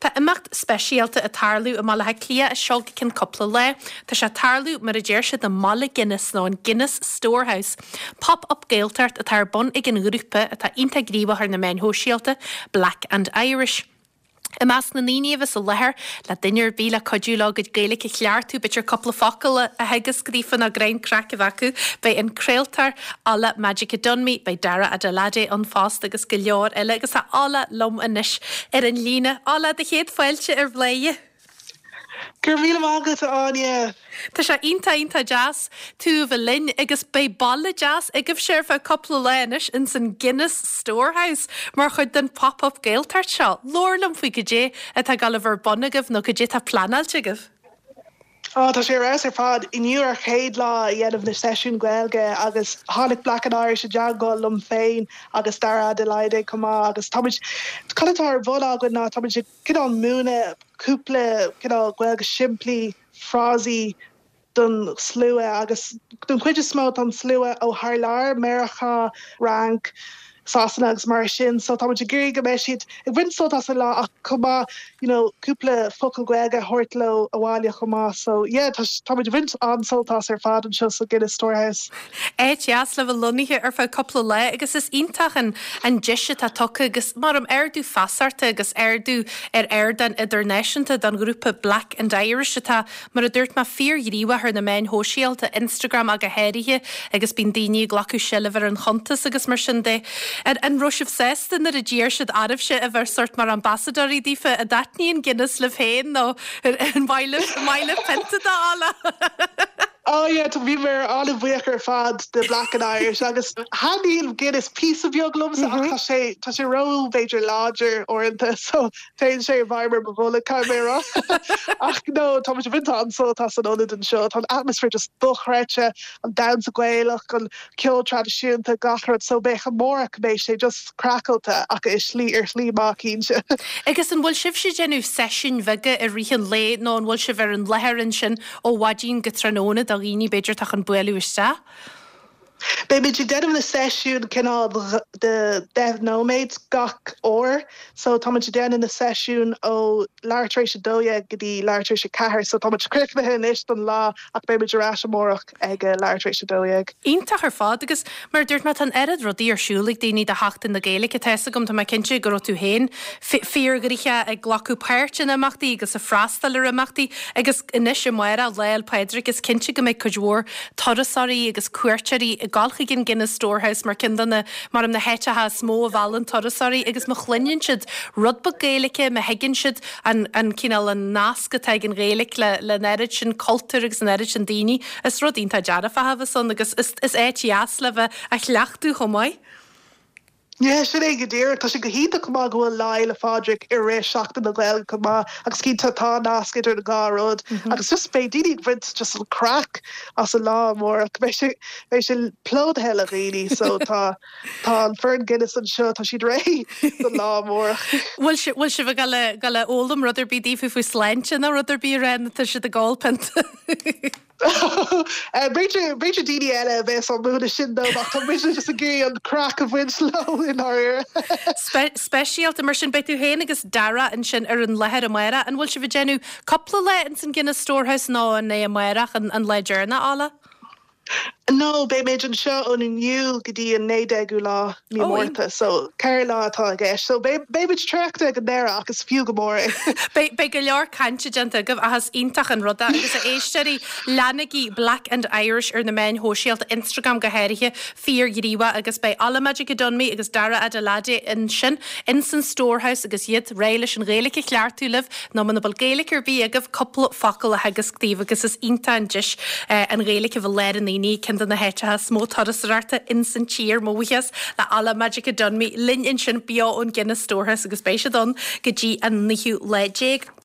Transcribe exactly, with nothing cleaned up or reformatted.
Tá imeacht speisialta ag tarlú i mBaile Átha Cliath as seo go ceann cúpla lá. Tá sé ag tarlú mar a deir siad i mBaile Guinness nó an Guinness Storehouse. Pop-up Gaeltacht atá ar bun ag an ghrúpa atá iontach gníomhach ar na meáin shóisialta, Black and Irish. I measc na ndaoine a bheas i láthair le duine ar bith le cuidiú leo a gcuid Gaeilge a cheartú b'fhéidir cúpla focal a theagasc daofa nó greim craic a bheith acu, beidh an craoltóir Ola Majekodunmi, beidh Dara Adelade ann fosta agus go leor eile agus tá Ola liom anois ar an líne. Ola do chéad fáilte ar Bhladhaire. Gur mí agat Áine. Tá sé iontach iontach deas tú a bheith linn agus beidh baile deas agaibhse ar feadh cúpla lá anois in san Guinness Storehouse mar chuid den pop-up Gaeltacht seo. Labhair liom faoi goidé atá ag dul a bheith ar bun agaibh nó goidé tá pleanáilte agaibh. Ó tá sé ar fad inniu ar chéad lá a dhéanamh na seisiún Gaeilge agus tháinig Black and Irish i dteagmháil liom féin agus Dara Adelaide chomh maith agus táimid cad atá ar bun againn ná táimid cineál múineadh cúpla cineál Gaeilge simplí frásaí don slua agus don chuid is mó an slua ó thar lear Meiriceá Fhrainc Sasana agus mar sin so tá ag iarraidh go mbeidh siad ag baint sult as an lá ach chomh maith you know cúpla focal Gaeilge a thabhairt leo abhaile chomh maith so yeah tá tá baint an-sult as ar fad anseo sa Guinness Storehouse. É deas le bheith lonnaithe ar feadh cúpla lá agus is iontach an an deis atá tugtha agus mar am ardú feasachta agus ardú ar ardán idirnáisiúnta don ghrúpa Black and Irish atá mar a dúirt mé fíorghníomhach ar na meáin shóisialta Instagram go háirithe agus bíonn daoine ag glacadh seilbh ar an chuntas agus mar sin de. An an raibh sibh sásta nuair a d'iarr siad oraibhse a bheith sort mar ambasadóirí daofa an dtaitníonn Guinness libh féin nó an maith libh pionta de Ola. Oh yeah, tá bhí mé an-bhuíoch ar fad de Black and Irish agus thaitníonn Guinness píosa beag liomsa ach tá sé tá sé ró b'fhéidir láidir uaireanta so téann sé i bhfeidhm ar mo bholg caimérá ach no tá ag baint an-sult as an ionad anseo tá an atmaisféar just dochreidte an damhsa Gaelach an ceol traidisiúnta gach rud so beidh amárach beidh sé just craiceáilte ach i slí ar shlí maith cinnte. Agus an bhfuil sibh ag déanamh seisiúin bheaga i rith an lae nó an bhfuil sibh ar an láthair ansin ó mhaidin go tráthnóna do dhaoine b'fhéidir atá chun bualadh isteach? Beimid ag déanamh na seisiún cineál de deich nóiméad gach uair, so táimid ag déanamh na seisiún ó leathuair tar éis a dó dhéag go dtí leathuair tar éis a ceathair, so táimid críochnaithe anois don lá ach beimid ar ais amárach ag leathuair tar éis a dó dhéag. Iontach ar fad agus mar dúirt mé tá an oiread rudaí ar siúl ag daoine do Sheachtain na Gaeilge tá agam tá mé cinnte go raibh tú féin fíorghnoitheach ag glacadh páirt in imeachtaí agus ag freastal ar imeachtaí agus anois amárach Lá 'le Pádraig is cinnte go mbeidh cuid mhór turasóirí agus cuairteoirí ag dul chuig an Guinness Storehouse mar ceann de na mar na háiteacha is mó a mheallann turasóirí agus má chluineann siad rud beag Gaeilge má thuigeann siad an an cineál an nasc atá ag an Ghaeilge le le an oiread sin cultúr agus an oiread sin daoine is rud iontach dearfach a bheas ann agus is is áit dheas le bheith á chleachtadh chomh maith. Yeah, sin é go díreach tá sé go hiontach go maith go bhfuil Lá 'le Pádraig i rith Seachtain na Gaeilge go maith agus cinnte tá nasc idir na dhá rud agus just beidh daoine ag baint just an craic as an lá amárach beidh sé beidh sé plódaithe le daoine so tá tá an foireann Guinness anseo tá siad réidh don lá amárach. Bhfuil si bhfuil sibh ag dul ag foghlaim rud ar bith daofa faoi sláinte nó rud ar bith ar tá siad ag ól pionta. B'fhéidir b'fhéidir daoine eile a bheas á múineadh sin dóibh ach tá muid just ag iarraidh an craic a bhaint leo i ndáiríre. Speisialta mar sin beidh tú féin agus Dara ansin ar an láthair amárach an bhfuil sibh ag déanamh cúpla lá in san Guinness Storehouse nó an é amárach an, an lá deireanach Ola? No, beimid anseo ón inniu go dtí an naoú déag lá mí Ó, Márta, so ceithre lá atá i gceist. So beimid traochta ag an deireadh agus fiú go mór é. Beidh go leor cainte déanta agaibh ach is iontach an rud é agus a éisteoirí leanaigí Black and Irish ar na meáin shóisialta Instagram go háirithe fíorghníomhach agus beidh Ola Majekodunmi agus Dara Adelade ansin in san Storehouse agus iad réidh leis an Ghaeilge a cheartú libh nó muna bhfuil Gaeilge ar bith agaibh cúpla focal a theagasc daoibh agus is iontach an deis eh, an Ghaeilge a bheith lár an aonaigh ceann de na háiteacha is mó turasóireachta in san tír mo bhuíochas le Ola Majekodunmi linn ansin beo ón Guinness Storehouse agus beidh siad ann go dtí an naoú lá déag.